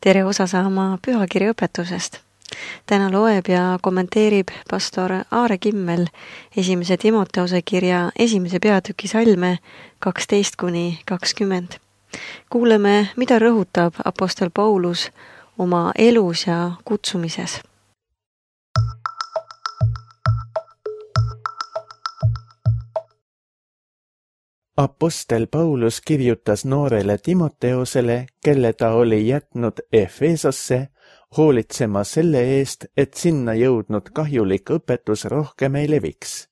Tere osa saama pühakirja õpetusest. Täna loeb ja kommenteerib pastor Aare Kimmel 1. Timoteuse kirja 1. peatüki salme 12-20. Kuuleme, mida rõhutab apostel Paulus oma elus ja kutsumises. Apostel Paulus kirjutas noorele Timoteusele, kelle ta oli jätnud Efesosse, hoolitsema selle eest, et sinna jõudnud kahjulik õpetus rohkem ei leviks.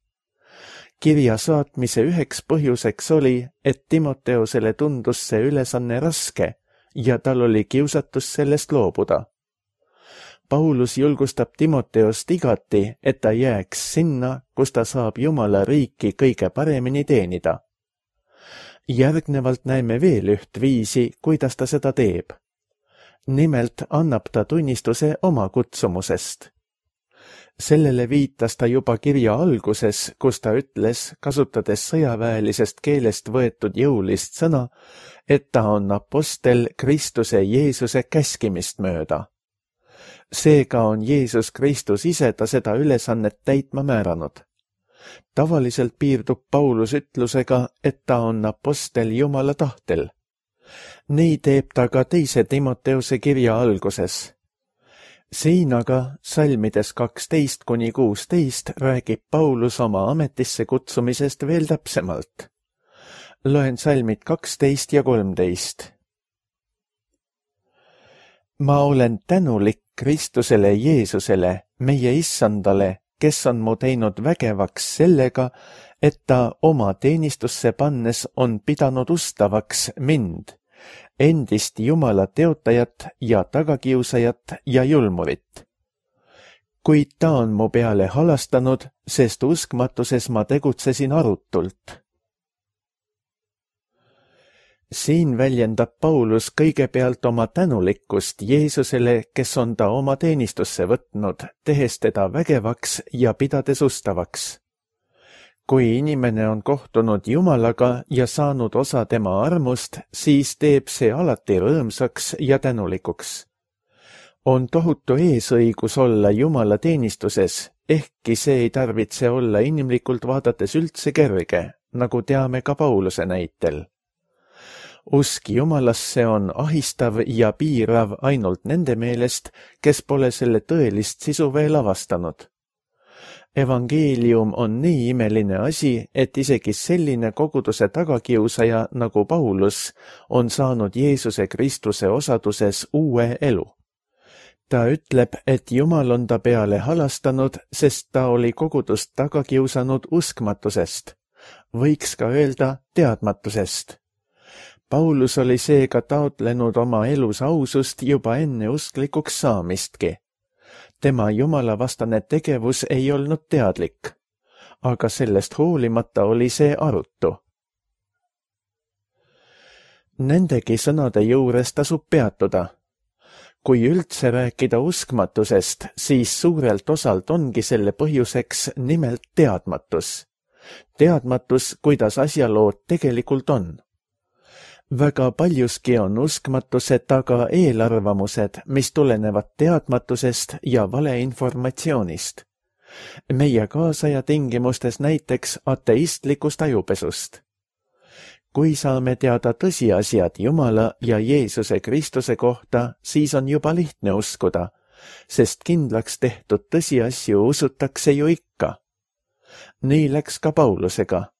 Kirja saatmise üheks põhjuseks oli, et Timoteusele tundus see ülesanne raske ja tal oli kiusatus sellest loobuda. Paulus julgustab Timoteost igati, et ta jääks sinna, kus ta saab Jumala riiki kõige paremini teenida. Järgnevalt näeme veel üht viisi, kuidas ta seda teeb. Nimelt annab ta tunnistuse oma kutsumusest. Sellele viitas ta juba kirja alguses, kus ta ütles, kasutades sõjaväelisest keelest võetud jõulist sõna, et ta on apostel Kristuse Jeesuse käskimist mööda. Seega on Jeesus Kristus ise ta seda ülesannet täitma määranud. Tavaliselt piirdub Paulus ütlusega, et ta on apostel Jumala tahtel. Nii teeb ta ka 2. Timoteuse kirja alguses. Siin aga salmides 12-16 räägib Paulus oma ametisse kutsumisest veel täpsemalt. Loen salmid 12 ja 13. Ma olen tänulik Kristusele Jeesusele, meie issandale, kes on mu teinud vägevaks sellega, et ta oma teenistusse pannes on pidanud ustavaks mind, endist Jumala teotajat ja tagakiusajat ja julmurit. Kuid ta on mu peale halastanud, sest uskmatuses ma tegutsesin arutult. Siin väljendab Paulus kõigepealt oma tänulikkust Jeesusele, kes on ta oma teenistusse võtnud, tehes teda vägevaks ja pidades ustavaks. Kui inimene on kohtunud Jumalaga ja saanud osa tema armust, siis teeb see alati rõõmsaks ja tänulikuks. On tohutu eesõigus olla Jumala teenistuses, ehkki see ei tarvitse olla inimlikult vaadates üldse kerge, nagu teame ka Pauluse näitel. Usk Jumalasse on ahistav ja piirav ainult nende meelest, kes pole selle tõelist sisu veel avastanud. Evangeelium on nii imeline asi, et isegi selline koguduse tagakiusaja nagu Paulus on saanud Jeesuse Kristuse osaduses uue elu. Ta ütleb, et Jumal on ta peale halastanud, sest ta oli kogudust tagakiusanud uskmatusest. Võiks ka öelda teadmatusest. Paulus oli seega taotlenud oma elus ausust juba enne usklikuks saamistki. Tema jumalavastane tegevus ei olnud teadlik, aga sellest hoolimata oli see arutu. Nendegi sõnade juures tasub peatuda. Kui üldse rääkida uskmatusest, siis suurelt osalt ongi selle põhjuseks nimelt teadmatus. Teadmatus, kuidas asjalood tegelikult on. Väga paljuski on uskmatuse taga eelarvamused, mis tulenevad teadmatusest ja valeinformatsioonist. Meie kaasaja tingimustes näiteks ateistlikust ajupesust. Kui saame teada tõsiasjad Jumala ja Jeesuse Kristuse kohta, siis on juba lihtne uskuda, sest kindlaks tehtud tõsiasju usutakse ju ikka. Nii läks ka Paulusega.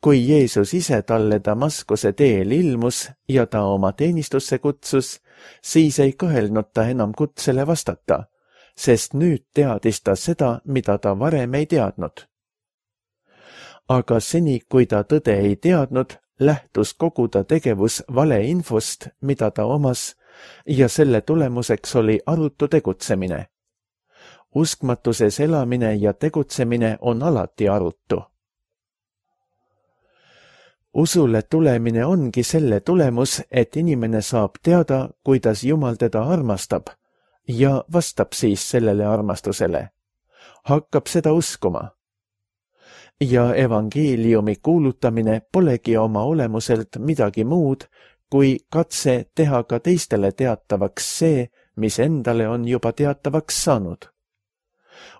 Kui Jeesus ise talle Damaskuse teel ilmus ja ta oma teenistusse kutsus, siis ei kõhelnud ta enam kutsele vastata, sest nüüd teadis ta seda, mida ta varem ei teadnud. Aga seni, kui ta tõde ei teadnud, lähtus kogu ta tegevus valeinfost, mida ta omas, ja selle tulemuseks oli arutu tegutsemine. Uskmatuses elamine ja tegutsemine on alati arutu. Usule tulemine ongi selle tulemus, et inimene saab teada, kuidas Jumal teda armastab ja vastab siis sellele armastusele. Hakkab seda uskuma. Ja evangeeliumi kuulutamine polegi oma olemuselt midagi muud, kui katse teha ka teistele teatavaks see, mis endale on juba teatavaks saanud.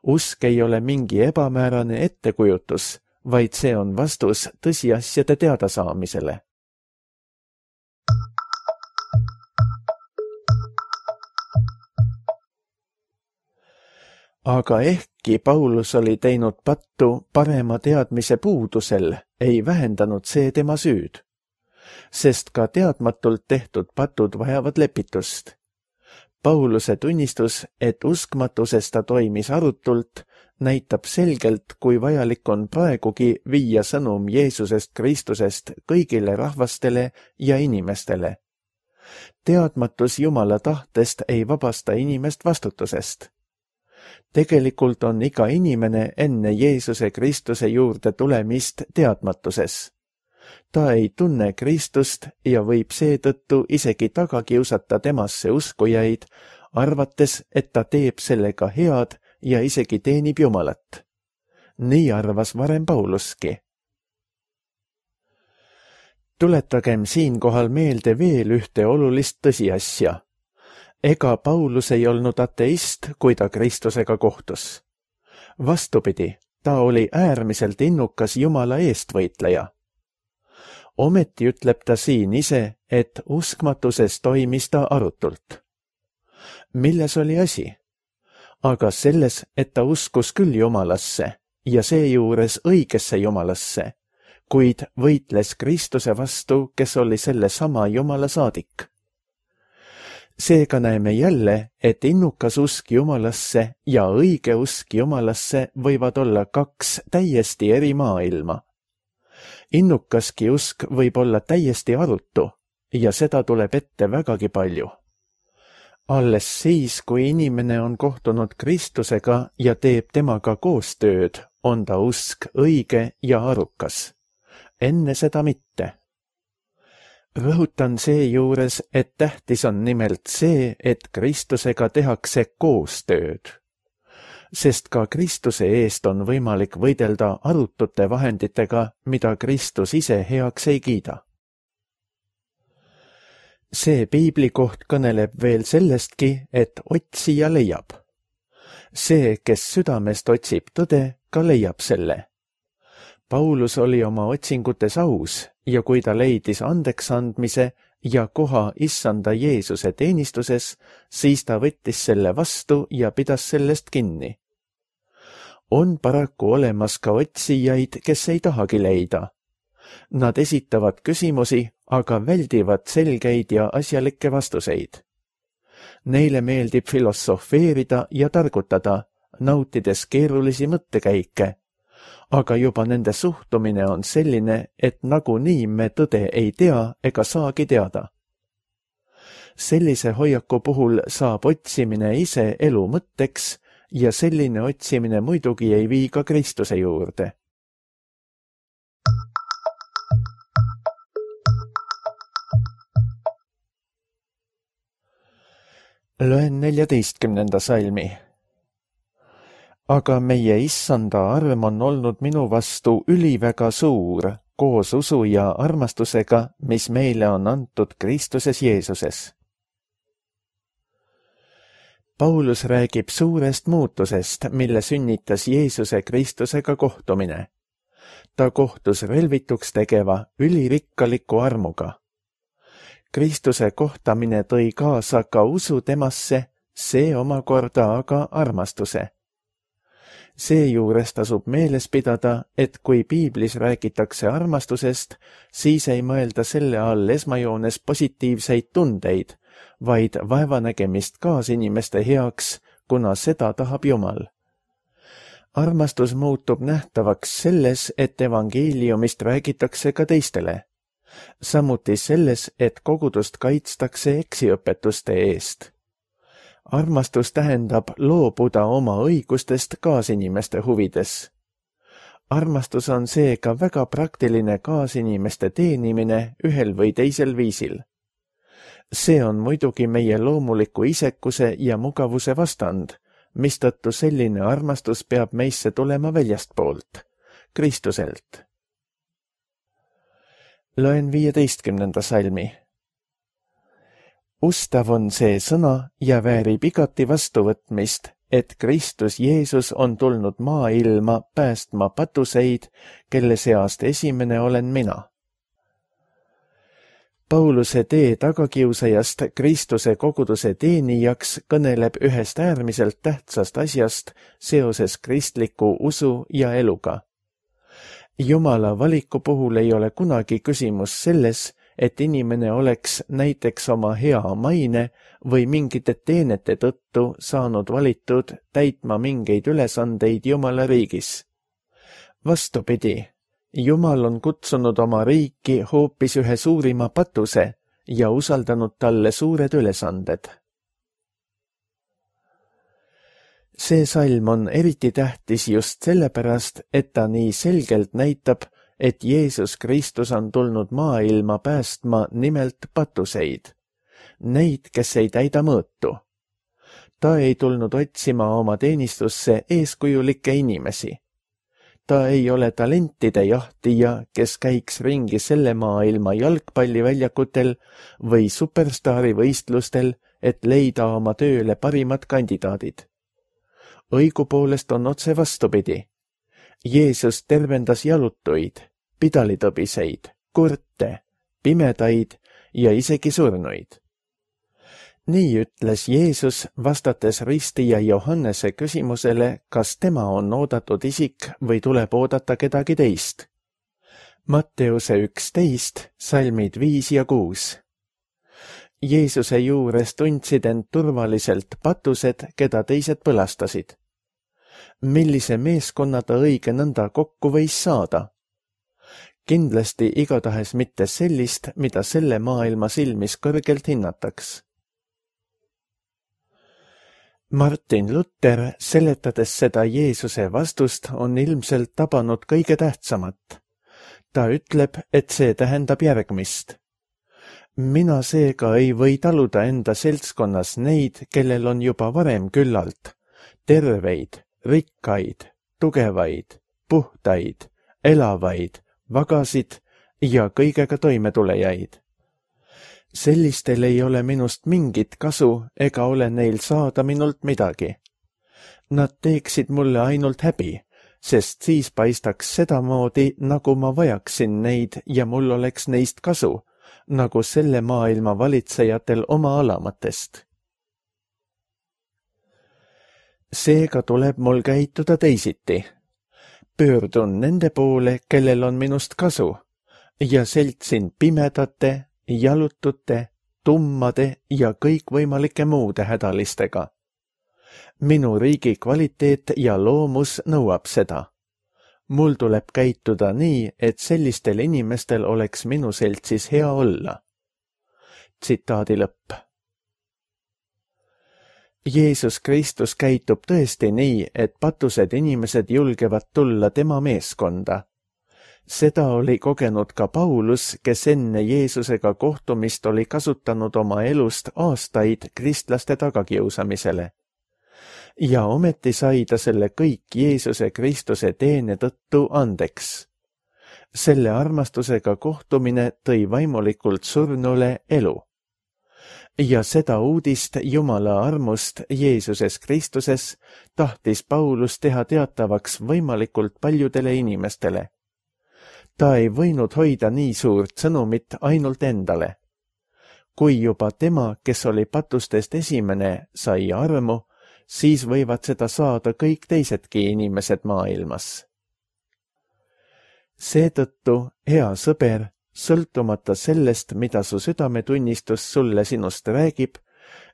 Usk ei ole mingi ebamäärane ettekujutus, vaid see on vastus tõsiasjade teadasaamisele. Aga ehkki Paulus oli teinud pattu parema teadmise puudusel, ei vähendanud see tema süüd, sest ka teadmatult tehtud patud vajavad lepitust. Pauluse tunnistus, et uskmatuses ta toimis arutult, näitab selgelt, kui vajalik on praegugi viia sõnum Jeesusest Kristusest kõigile rahvastele ja inimestele. Teadmatus Jumala tahtest ei vabasta inimest vastutusest. Tegelikult on iga inimene enne Jeesuse Kristuse juurde tulemist teadmatuses. Ta ei tunne Kristust ja võib seetõttu isegi taga kiusata temasse uskujaid, arvates, et ta teeb sellega head ja isegi teenib Jumalat. Nii arvas varem Pauluski. Tuletagem siinkohal meelde veel ühte olulist tõsiasja. Ega Paulus ei olnud ateist, kui ta Kristusega kohtus. Vastupidi, ta oli äärmiselt innukas Jumala eestvõitleja. Ometi ütleb ta siin ise, et uskmatuses toimis ta arutult. Milles oli asi? Aga selles, et ta uskus küll Jumalasse ja seejuures õigesse Jumalasse, kuid võitles Kristuse vastu, kes oli selle sama Jumala saadik. Seega näeme jälle, et innukas usk Jumalasse ja õige usk Jumalasse võivad olla kaks täiesti eri maailma. Innukaski usk võib olla täiesti arutu ja seda tuleb ette vägagi palju. Alles siis, kui inimene on kohtunud Kristusega ja teeb temaga koostööd, on ta usk õige ja arukas. Enne seda mitte. Rõhutan seejuures, et tähtis on nimelt see, et Kristusega tehakse koostööd. Sest ka Kristuse eest on võimalik võidelda arutute vahenditega, mida Kristus ise heaks ei kiida. See piiblikoht kõneleb veel sellestki, et otsija leiab. See, kes südamest otsib tõde, ka leiab selle. Paulus oli oma otsingutes aus ja kui ta leidis andeksandmise ja koha issanda Jeesuse teenistuses, siis ta võttis selle vastu ja pidas sellest kinni. On paraku olemas ka otsijaid, kes ei tahagi leida. Nad esitavad küsimusi, aga väldivad selgeid ja asjalikke vastuseid. Neile meeldib filosofeerida ja targutada, nautides keerulisi mõttekäike, aga juba nende suhtumine on selline, et nagunii me tõde ei tea ega saagi teada. Sellise hoiaku puhul saab otsimine ise elu mõtteks ja selline otsimine muidugi ei vii ka Kristuse juurde. Loen 14. salmi. Aga meie issanda arm on olnud minu vastu üliväga suur, koos usu ja armastusega, mis meile on antud Kristuses Jeesuses. Paulus räägib suurest muutusest, mille sünnitas Jeesuse Kristusega kohtumine. Ta kohtus relvituks tegeva ülirikkaliku armuga. Kristuse kohtamine tõi kaasa ka usu temasse, see omakorda aga armastuse. Seejuures tasub meeles pidada, et kui piiblis räägitakse armastusest, siis ei mõelda selle all esmajoones positiivseid tundeid, vaid vaevanägemist kaasinimeste heaks, kuna seda tahab Jumal. Armastus muutub nähtavaks selles, et evangeeliumist räägitakse ka teistele. Samuti selles, et kogudust kaitstakse eksiõpetuste eest. Armastus tähendab loobuda oma õigustest kaasinimeste huvides. Armastus on seega väga praktiline kaasinimeste teenimine ühel või teisel viisil. See on muidugi meie loomuliku isekuse ja mugavuse vastand, mistõttu selline armastus peab meisse tulema väljastpoolt, Kristuselt. Loen 15. salmi. Ustav on see sõna ja väärib igati vastuvõtmist, et Kristus Jeesus on tulnud maailma päästma patuseid, kelle seast esimene olen mina. Pauluse tee tagakiusajast Kristuse koguduse teenijaks kõneleb ühest äärmiselt tähtsast asjast seoses kristliku usu ja eluga. Jumala valiku puhul ei ole kunagi küsimus selles, et inimene oleks näiteks oma hea maine või mingite teenete tõttu saanud valitud täitma mingeid ülesandeid Jumala riigis. Vastupidi, Jumal on kutsunud oma riiki hoopis ühe suurima patuse ja usaldanud talle suured ülesanded. See salm on eriti tähtis just sellepärast, et ta nii selgelt näitab, et Jeesus Kristus on tulnud maailma päästma nimelt patuseid, neid, kes ei täida mõõtu. Ta ei tulnud otsima oma teenistusse eeskujulikke inimesi. Ta ei ole talentide jahtija, kes käiks ringi selle maailma jalgpalliväljakutel või superstaari võistlustel, et leida oma tööle parimad kandidaadid. Õigupoolest on otse vastupidi. Jeesus tervendas jalutuid, pidalitõbiseid, kurte, pimedaid ja isegi surnuid. Nii ütles Jeesus, vastates ristija Johannese küsimusele, kas tema on oodatud isik või tuleb oodata kedagi teist. Matteuse 11, salmid 5 ja 6. Jeesuse juures tundsid end turvaliselt patused, keda teised põlastasid. Millise meeskonna ta õige nõnda kokku võis saada? Kindlasti igatahes mitte sellist, mida selle maailma silmis kõrgelt hinnataks. Martin Luther, seletades seda Jeesuse vastust, on ilmselt tabanud kõige tähtsamat. Ta ütleb, et see tähendab järgmist. Mina seega ei või taluda enda seltskonnas neid, kellel on juba varem küllalt, terveid, rikkaid, tugevaid, puhtaid, elavaid, vagasid ja kõigega toimetulejaid. Sellistel ei ole minust mingit kasu ega ole neil saada minult midagi. Nad teeksid mulle ainult häbi, sest siis paistaks sedamoodi, nagu ma vajaksin neid ja mul oleks neist kasu, nagu selle maailma valitsejatel oma alamatest. Seega tuleb mul käituda teisiti. Pöördun nende poole, kellel on minust kasu, ja seltsin pimedate, jalutute, tummade ja kõikvõimalike muude hädalistega. Minu riigi kvaliteet ja loomus nõuab seda. Mul tuleb käituda nii, et sellistel inimestel oleks minu seltsis hea olla. Tsitaadi lõpp. Jeesus Kristus käitub tõesti nii, et patused inimesed julgevad tulla tema meeskonda. Seda oli kogenud ka Paulus, kes enne Jeesusega kohtumist oli kasutanud oma elust aastaid kristlaste tagakiusamisele. Ja ometi sai ta selle kõik Jeesuse Kristuse teene tõttu andeks. Selle armastusega kohtumine tõi vaimulikult surnule elu. Ja seda uudist Jumala armust Jeesuses Kristuses tahtis Paulus teha teatavaks võimalikult paljudele inimestele. Ta ei võinud hoida nii suurt sõnumit ainult endale. Kui juba tema, kes oli patustest esimene, sai armu, siis võivad seda saada kõik teisedki inimesed maailmas. Seetõttu, hea sõber, sõltumata sellest, mida su südametunnistus sulle sinust räägib,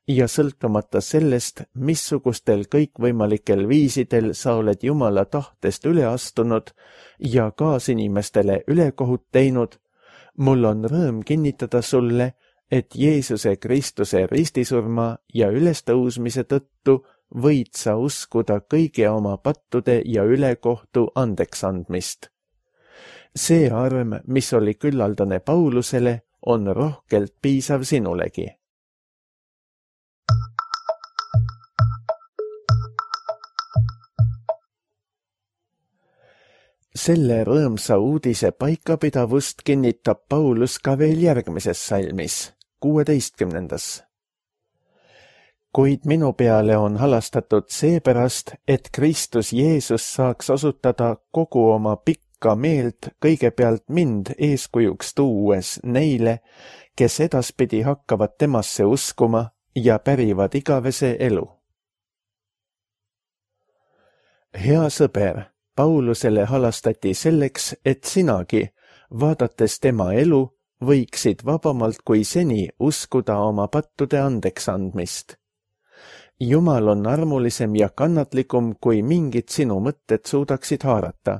ja sõltumata sellest, missugustel kõikvõimalikel viisidel sa oled Jumala tahtest üle astunud ja kaasinimestele ülekohut teinud, mul on rõõm kinnitada sulle, et Jeesuse Kristuse ristisurma ja ülestõusmise tõttu võid sa uskuda kõigi oma pattude ja ülekohtu andeksandmist. See arm, mis oli küllaldane Paulusele, on rohkelt piisav sinulegi. Selle rõõmsa uudise paikapidavust kinnitab Paulus ka veel järgmises salmis, 16. kuid minu peale on halastatud seepärast, et Kristus Jeesus saaks osutada kogu oma pikka meelt kõigepealt mind eeskujuks tuues neile, kes edaspidi hakkavad temasse uskuma ja pärivad igavese elu. Hea sõber, Paulusele halastati selleks, et sinagi, vaadates tema elu, võiksid vabamalt kui seni uskuda oma pattude andeks andmist. Jumal on armulisem ja kannatlikum, kui mingid sinu mõtted suudaksid haarata.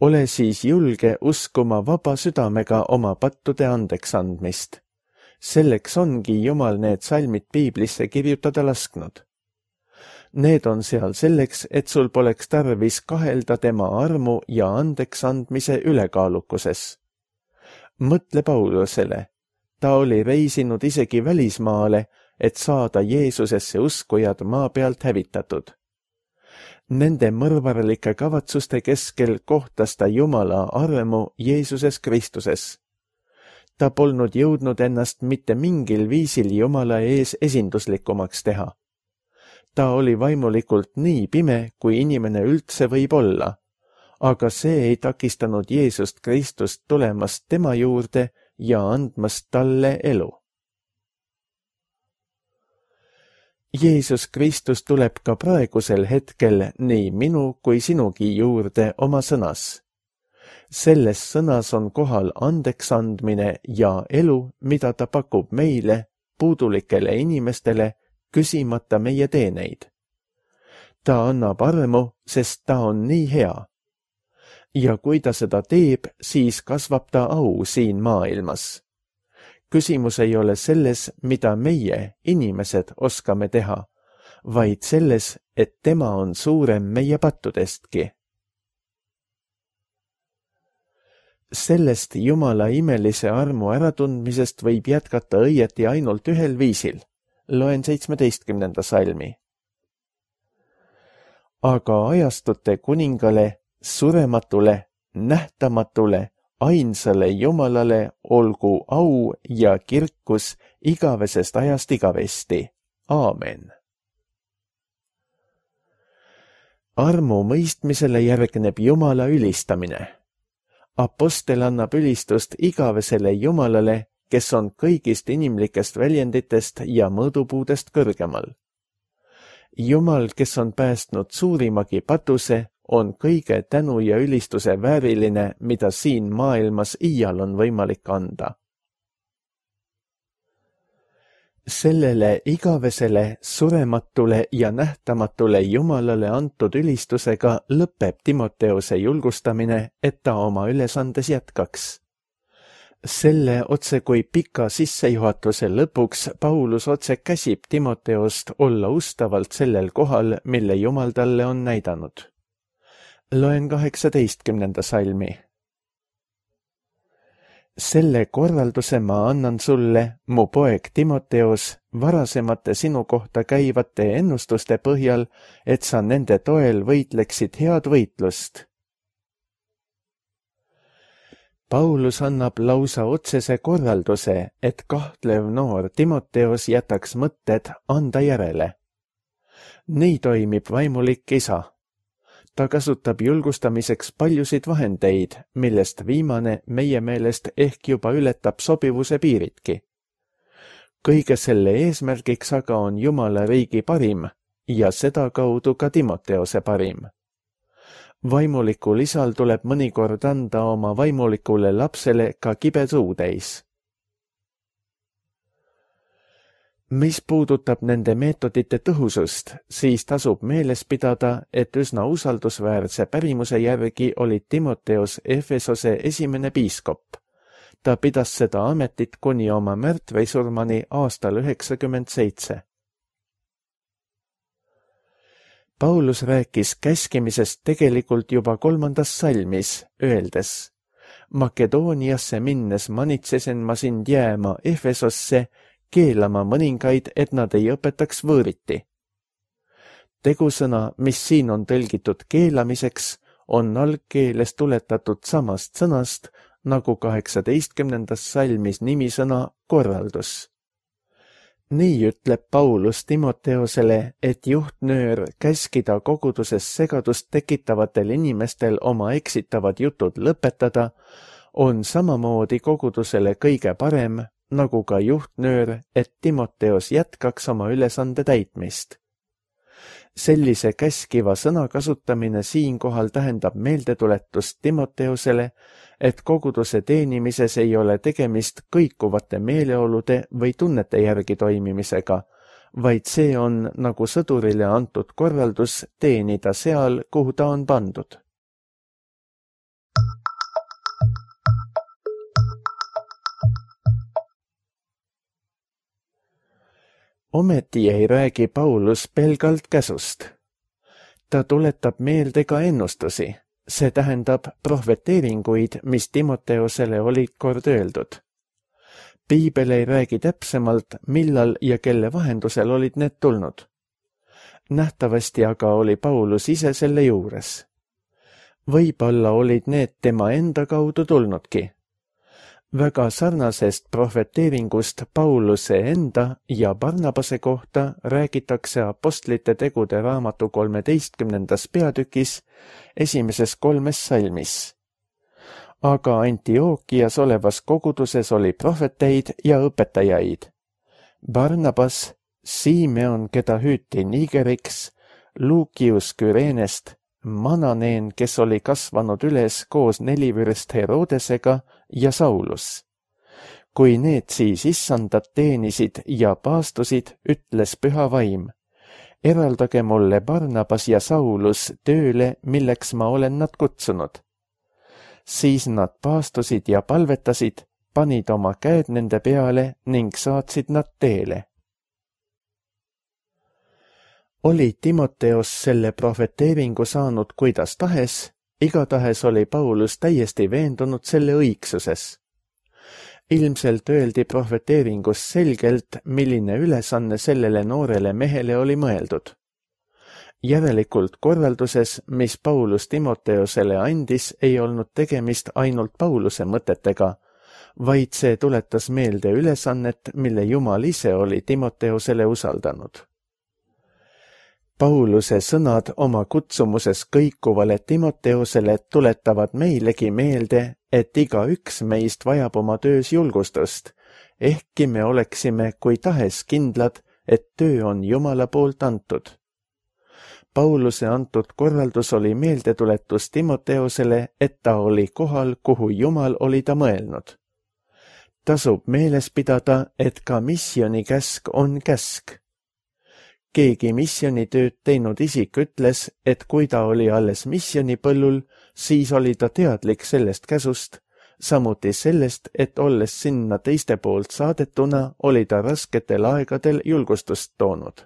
Ole siis julge uskuma vaba südamega oma pattude andeks andmist. Selleks ongi Jumal need salmid piiblisse kirjutada lasknud. Need on seal selleks, et sul poleks tarvis kahelda tema armu ja andeks andmise ülekaalukuses. Mõtle Paulusele. Ta oli reisinud isegi välismaale, et saada Jeesusesse uskujad maa pealt hävitatud. Nende mõrvarlike kavatsuste keskel kohtas ta Jumala armu Jeesuses Kristuses. Ta polnud jõudnud ennast mitte mingil viisil Jumala ees esinduslikumaks teha. Ta oli vaimulikult nii pime, kui inimene üldse võib olla, aga see ei takistanud Jeesust Kristust tulemast tema juurde ja andmast talle elu. Jeesus Kristus tuleb ka praegusel hetkel nii minu kui sinugi juurde oma sõnas. Selles sõnas on kohal andeks andmine ja elu, mida ta pakub meile, puudulikele inimestele, küsimata meie teeneid. Ta annab armu, sest ta on nii hea. Ja kui ta seda teeb, siis kasvab ta au siin maailmas. Küsimus ei ole selles, mida meie, inimesed, oskame teha, vaid selles, et tema on suurem meie pattudestki. Sellest Jumala imelise armu äratundmisest võib jätkata õieti ainult ühel viisil. Loen 17. salmi. Aga ajastute kuningale, surematule, nähtamatule, ainsale Jumalale olgu au ja kirkus igavesest ajast igavesti. Aamen. Armu mõistmisele järgneb Jumala ülistamine. Apostel annab ülistust igavesele Jumalale, kes on kõigist inimlikest väljenditest ja mõõdupuudest kõrgemal. Jumal, kes on päästnud suurimagi patuse, on kõige tänu ja ülistuse vääriline, mida siin maailmas iial on võimalik anda. Sellele igavesele, surematule ja nähtamatule Jumalale antud ülistusega lõpeb Timoteuse julgustamine, et ta oma ülesandes jätkaks. Selle otse kui pika sissejuhatuse lõpuks Paulus otse käsib Timoteost olla ustavalt sellel kohal, mille Jumal talle on näidanud. Loen 18. salmi. Selle korralduse ma annan sulle, mu poeg Timoteos, varasemate sinu kohta käivate ennustuste põhjal, et sa nende toel võitleksid head võitlust. Paulus annab lausa otsese korralduse, et kahtlev noor Timoteos jätaks mõtted anda järele. Nii toimib vaimulik isa. Ta kasutab julgustamiseks paljusid vahendeid, millest viimane meie meelest ehk juba ületab sobivuse piiridki. Kõige selle eesmärgiks aga on Jumala riigi parim ja seda kaudu ka Timoteose parim. Vaimulikul isal tuleb mõnikord anda oma vaimulikule lapsele ka kibe suutäis. Mis puudutab nende meetodite tõhusust, siis tasub meeles pidada, et üsna usaldusväärse pärimuse järgi oli Timoteos Efesose esimene piiskop. Ta pidas seda ametit kuni oma märtvisurmani aastal 97. Paulus rääkis käskimisest tegelikult juba 3. salmis, öeldes: Makedooniasse minnes manitsesen ma sind jääma Efesosse, keelama mõningaid, et nad ei õpetaks võõriti. Tegusõna, mis siin on tõlgitud keelamiseks, on algkeeles tuletatud samast sõnast, nagu 18. salmis nimisõna korraldus. Nii ütleb Paulus Timoteosele, et juhtnöör käskida koguduses segadust tekitavatel inimestel oma eksitavad jutud lõpetada, on samamoodi kogudusele kõige parem, nagu ka juhtnöör, et Timoteos jätkaks oma ülesande täitmist. Sellise käskiva sõna kasutamine siinkohal tähendab meeldetuletust Timoteosele, et koguduse teenimises ei ole tegemist kõikuvate meeleolude või tunnete järgi toimimisega, vaid see on nagu sõdurile antud korraldus teenida seal, kuhu ta on pandud. Ometi ei räägi Paulus pelgalt käsust. Ta tuletab meelde ka ennustusi, see tähendab prohveteeringuid, mis Timoteosele olid kord öeldud. Piibel ei räägi täpsemalt, millal ja kelle vahendusel olid need tulnud. Nähtavasti aga oli Paulus ise selle juures. Võib-olla olid need tema enda kaudu tulnudki. Väga sarnasest prohveteeringust Pauluse enda ja Barnabase kohta räägitakse Apostlite tegude raamatu 13. peatükis 1. 3. salmis. Aga Antiookias olevas koguduses oli prohveteid ja õpetajaid. Barnabas, Simeon, keda hüüti Nigeriks, Lukius Küreenest, Mananeen, kes oli kasvanud üles koos nelivürst Herodesega, ja Saulus. Kui need siis issandat teenisid ja paastusid, ütles Püha Vaim, eraldage mulle Barnabas ja Saulus tööle, milleks ma olen nad kutsunud. Siis nad paastusid ja palvetasid, panid oma käed nende peale ning saatsid nad teele. Oli Timoteos selle prohveteeringu saanud kuidas tahes, igatahes oli Paulus täiesti veendunud selle õigsuses. Ilmselt öeldi prohveteeringus selgelt, milline ülesanne sellele noorele mehele oli mõeldud. Järelikult korralduses, mis Paulus Timoteosele andis, ei olnud tegemist ainult Pauluse mõtetega, vaid see tuletas meelde ülesannet, mille Jumal ise oli Timoteosele usaldanud. Pauluse sõnad oma kutsumuses kõikuvale Timoteosele tuletavad meilegi meelde, et igaüks meist vajab oma töös julgustust, ehkki me oleksime kui tahes kindlad, et töö on Jumala poolt antud. Pauluse antud korraldus oli meeldetuletus Timoteosele, et ta oli kohal, kuhu Jumal oli ta mõelnud. Tasub meeles pidada, et ka missionikäsk on käsk. Keegi missionitööd teinud isik ütles, et kui ta oli alles missionipõllul, siis oli ta teadlik sellest käsust, samuti sellest, et olles sinna teiste poolt saadetuna, oli ta rasketel aegadel julgustust toonud.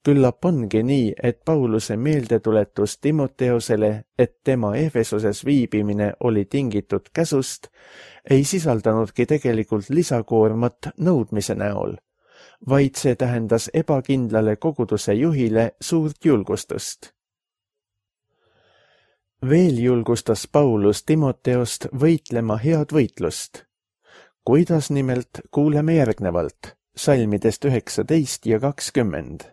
Küllap ongi nii, et Pauluse meeldetuletus Timoteosele, et tema Efesoses viibimine oli tingitud käsust, ei sisaldanudki tegelikult lisakoormat nõudmise näol, vaid see tähendas ebakindlale koguduse juhile suurt julgustust. Veel julgustas Paulus Timoteost võitlema head võitlust. Kuidas nimelt, kuuleme järgnevalt, salmidest 19 ja 20.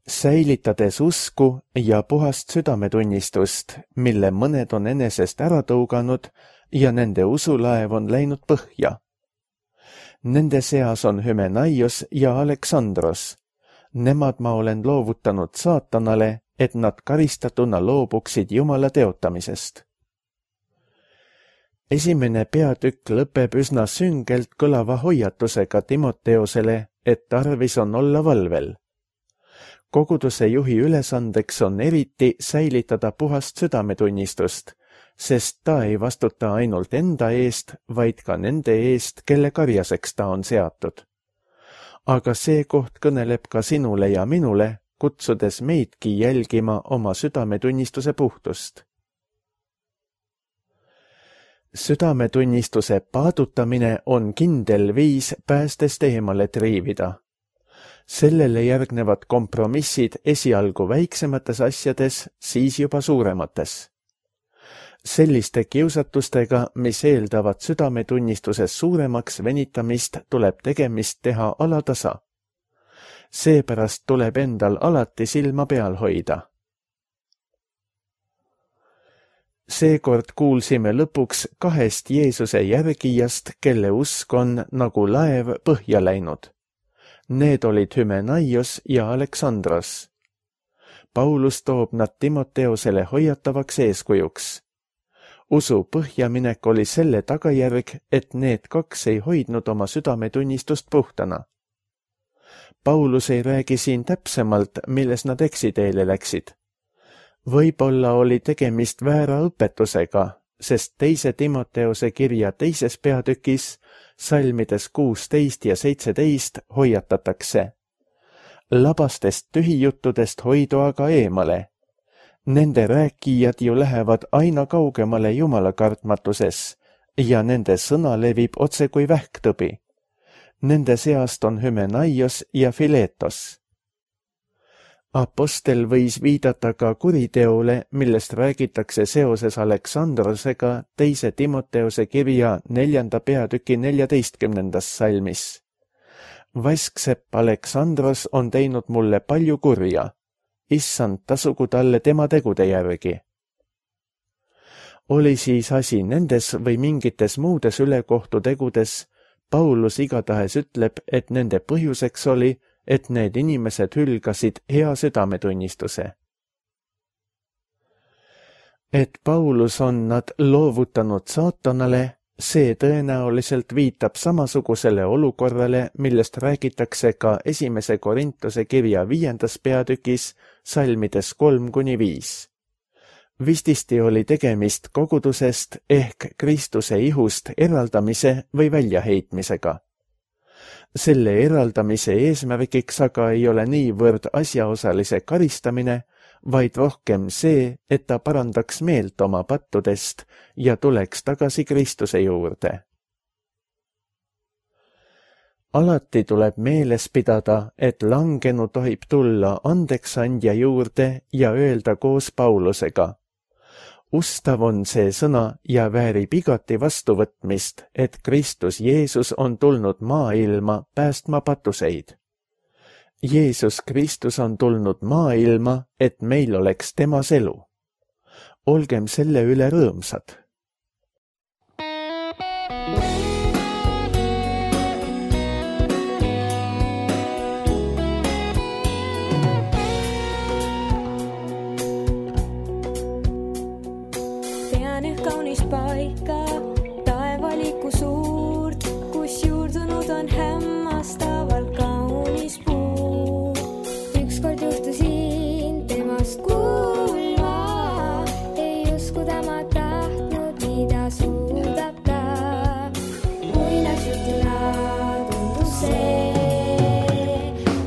Säilitades usku ja puhast südametunnistust, mille mõned on enesest ära tõuganud ja nende usulaev on läinud põhja. Nende seas on Hymenaios ja Aleksandros. Nemad ma olen loovutanud saatanale, et nad karistatuna loobuksid Jumala teotamisest. Esimene peatükk lõpeb üsna süngelt kõlava hoiatusega Timoteosele, et tarvis on olla valvel. Koguduse juhi ülesandeks on eriti säilitada puhast südametunnistust, sest ta ei vastuta ainult enda eest, vaid ka nende eest, kelle karjaseks ta on seatud. Aga see koht kõneleb ka sinule ja minule, kutsudes meidki jälgima oma südametunnistuse puhtust. Südametunnistuse paadutamine on kindel viis päästest eemale triivida. Sellele järgnevad kompromissid esialgu väiksemates asjades, siis juba suuremates. selliste kiusatustega, mis eeldavad südametunnistuses suuremaks venitamist, tuleb tegemist teha alatasa. Seepärast tuleb endal alati silma peal hoida. Seekord kuulsime lõpuks 2 Jeesuse järgijast, kelle usk on nagu laev põhja läinud. Need olid Hymenaios ja Aleksandros. Paulus toob nad Timoteosele hoiatavaks eeskujuks. Usu põhjaminek oli selle tagajärg, et need 2 ei hoidnud oma südametunnistust puhtana. Paulus ei räägi siin täpsemalt, milles nad eksiteele läksid. Võib-olla oli tegemist väära õpetusega, sest 2 Timoteose kirja 2. peatükis, salmides 16 ja 17 hoiatatakse. Labastest tühijuttudest hoidu aga eemale. Nende rääkijad ju lähevad aina kaugemale Jumala kartmatuses ja nende sõna levib otse kui vähktõbi. Nende seast on Hymenaios ja Filetos. Apostel võis viidata ka kuriteole, millest räägitakse seoses Aleksandrosega 2. Timoteose kirja 4. peatüki 14. salmis. Vasksepp Aleksandros on teinud mulle palju kurja. Issand, tasugu talle tema tegude järgi. Oli siis asi nendes või mingites muudes ülekohtutegudes, Paulus igatahes ütleb, et nende põhjuseks oli, et need inimesed hülgasid hea südametunnistuse. Et Paulus on nad loovutanud saatanale, see tõenäoliselt viitab samasugusele olukorrale, millest räägitakse ka 1. Korintuse kirja 5. peatükis, salmides 3-5. Vististi oli tegemist kogudusest ehk Kristuse ihust eraldamise või väljaheitmisega. Selle eraldamise eesmärgiks aga ei ole niivõrd asjaosalise karistamine, vaid rohkem see, et ta parandaks meelt oma pattudest ja tuleks tagasi Kristuse juurde. Alati tuleb meeles pidada, et langenu tohib tulla andeksandja juurde ja öelda koos Paulusega. Ustav on see sõna ja väärib igati vastuvõtmist, et Kristus Jeesus on tulnud maailma päästma patuseid. Jeesus Kristus on tulnud maailma, et meil oleks temas elu. Olgem selle üle rõõmsad. Tean üht kaunist paika, taevaliku suurt, kus juurdunud on hämmastavalt kaunis puu. Ükskord juhtusin temast kuulma, ei usku tema tahtnud, mida suudab ta. Muinasjutuna tundus see,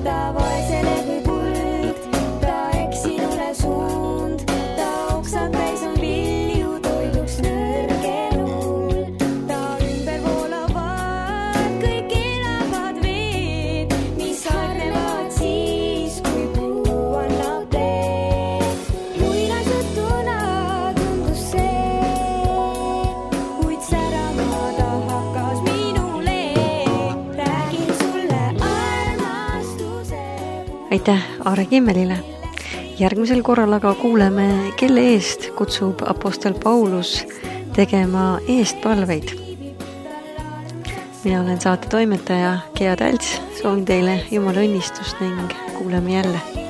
ta vaesele kui kuld, ta eksinule suund, ta oksad täis on vilju, toiduks nõrgenul. Ta ümber voolavad kõik elavad veed, mis harnevad siis, kui puu annab teed. Muinasjutuna tundus see, kuid särama ta hakkas minule. Räägin sulle armastuse. Aitäh Aare Kimmelile! Järgmisel korral aga kuuleme, kelle eest kutsub apostel Paulus tegema eestpalveid. Mina olen saate toimetaja Gea Tälts, soovin teile Jumala õnnistust ning kuuleme jälle.